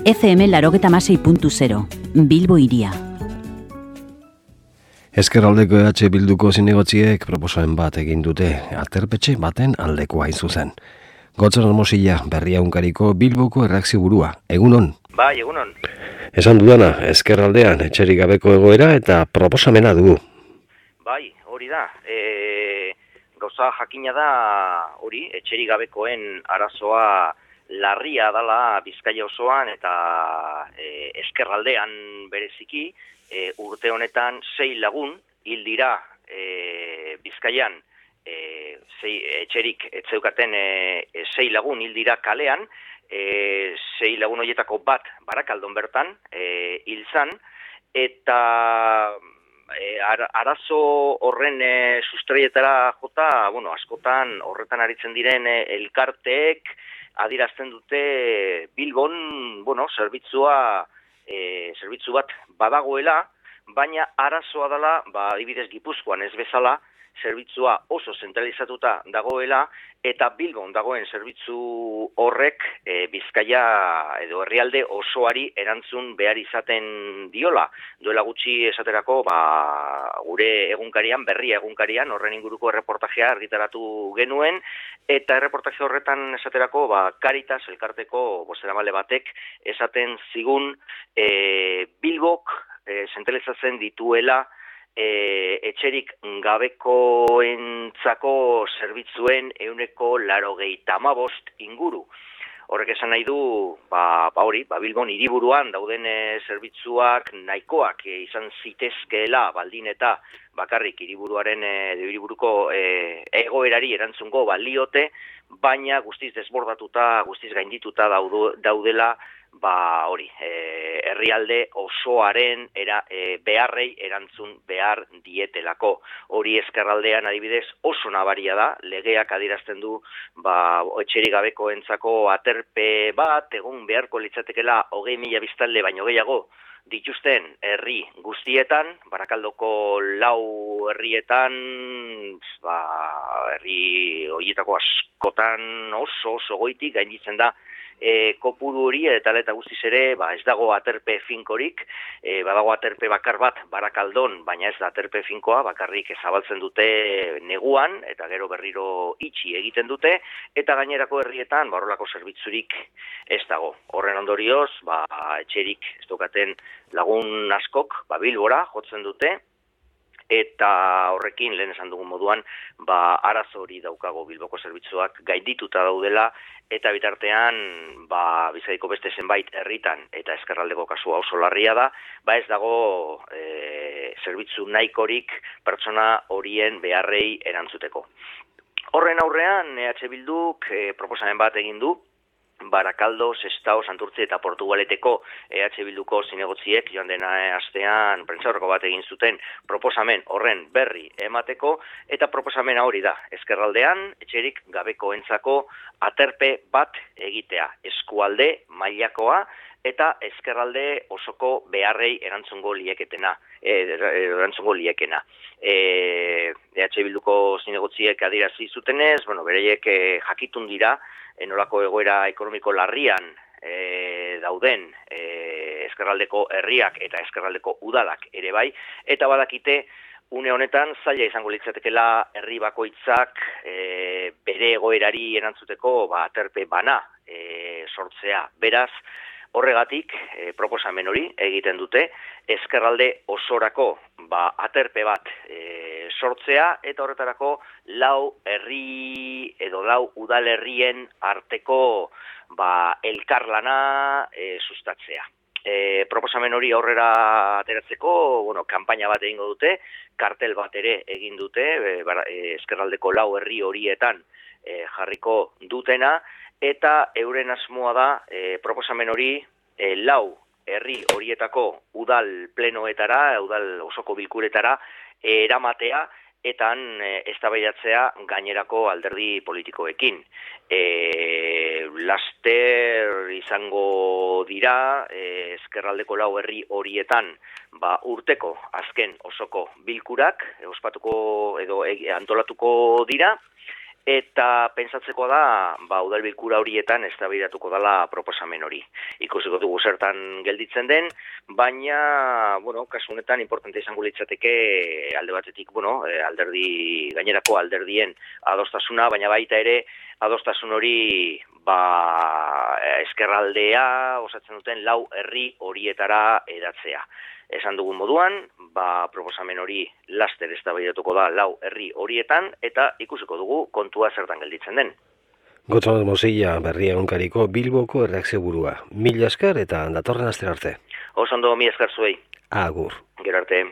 FM 96.0, Bilbo hiria. Ezkerraldeko Bilduko zinegotziek proposamen bat egin dute, aterpetxe baten aldekoa hain zuzen. Gotzon Mosilla, Berriaunkariko Bilboko erreakzio burua. Egunon? Bai, egunon. Esan dudana, ezkerraldean etxerik gabeko egoera eta proposamena dugu. Bai, hori da. Gauza jakina da hori, etxerik gabekoen arazoa larria dala Bizkaia osoan eta ezkerraldean bereziki, urte honetan 6 lagun hil dira Bizkaian, etxerik etzeukaten 6 lagun hil dira kalean, 6 lagun horietako bat Barakaldon bertan hil zan, eta arazo horren sustraietara jota, askotan horretan aritzen diren elkarteek adirazten dute Bilbon, zerbitzu bat badagoela, baina arazoa dela, adibidez Gipuzkoan ez bezala, zerbitzua oso zentralizatuta dagoela, eta Bilbon dagoen zerbitzu horrek Bizkaia edo herrialde osoari erantzun behar izaten diola. Duela gutxi esaterako, gure egunkarian, Berria egunkarian, horren inguruko erreportajea argitaratu genuen, eta erreportaje horretan esaterako, Caritas elkarteko bozeramale batek esaten zigun Bilbok zentralizatzen dituela etxerik gabekoentzako zerbitzuen 85% inguru. Horrek esan nahi du, Bilbon hiriburuan dauden zerbitzuak nahikoak izan zitezkeela baldin eta bakarrik hiriburuko egoerari erantzungo baliote, baina guztiz desbordatuta, guztiz gaindituta daudela, herrialde osoaren beharrei erantzun behar dietelako. Hori ezkerraldean adibidez oso nabaria da, legeak adirazten du etxerik gabekoentzako aterpe bat, egun beharko litzatekela 20.000 biztanle baino gehiago dituzten herri guztietan, Barakaldoko 4 herrietan, herri horietako askotan oso goitik gainditzen da kopuru hori eta guztiz ere ez dago aterpe finkorik, badago aterpe bakar bat Barakaldon, baina ez da aterpe finkoa, bakarrik zabaltzen dute neguan eta gero berriro itxi egiten dute, eta gainerako herrietan horrelako zerbitzurik ez dago. Horren ondorioz, etxerik ez daukaten lagun askok Bilbora jotzen dute, eta horrekin lehen esan dugun moduan arazo hori daukago Bilboko zerbitzuak gaindituta daudela, eta bitartean Bizkaiko beste zenbait herritan eta ezkerraldeko kasua oso larria da, ez dago zerbitzu nahikorik pertsona horien beharrei erantzuteko. Horren aurrean Bilduk proposamen bat egin du, Barakaldo, Sestao, Santurtzi eta Portugaleteko Bilduko zinegotziek joan dena astean prentsaurreko bat egin zuten proposamen horren berri emateko, eta proposamena hori da, ezkerraldean etxerik gabekoentzako aterpe bat egitea, eskualde mailakoa eta ezkerralde osoko beharrei erantzungo liekena. Bilduko zinegotziek adirazi zutenez, bereiek jakitun dira nolako egoera ekonomiko larrian dauden ezkerraldeko herriak eta ezkerraldeko udalak ere bai, eta badakite une honetan zaila izango litzatekeela herri bakoitzak bere egoerari erantzuteko aterpe bana sortzea. Beraz, horregatik proposamen hori egiten dute, ezkerralde osorako aterpe bat sortzea, eta horretarako 4 herri edo 4 udalerrien arteko elkarlana sustatzea. Proposamen hori aurrera ateratzeko, kanpaina bat egingo dute, kartel bat ere egin dute, ezkerraldeko 4 herri horietan jarriko dutena, eta euren asmoa da proposamen hori 4 herri horietako udal plenoetara, udal osoko bilkuretara eramatea, eta eztabaidatzea gainerako alderdi politikoekin. Laster izango dira ezkerraldeko 4 herri horietan urteko azken osoko bilkurak ospatuko edo antolatuko dira, eta pentsatzeko da, udalbilkura horietan eztabaidatuko dela proposamen hori. Ikusiko dugu zertan gelditzen den, baina, kasu honetan importante izango litzateke alde batetik, gainerako alderdien adostasuna, baina baita ere adostasun hori ezkerraldea osatzen duten 4 herri horietara hedatzea. Esan dugun moduan, proposamen hori laster eztabaidatuko da 4 herri horietan eta ikusiko dugu kontua zertan gelditzen den. Gotzon Mozilla, Berria Egunkariko Bilboko erreakzioburua. Mila esker eta datorren astera arte. Oso ondo, mila esker zuei. Agur. Gero arte.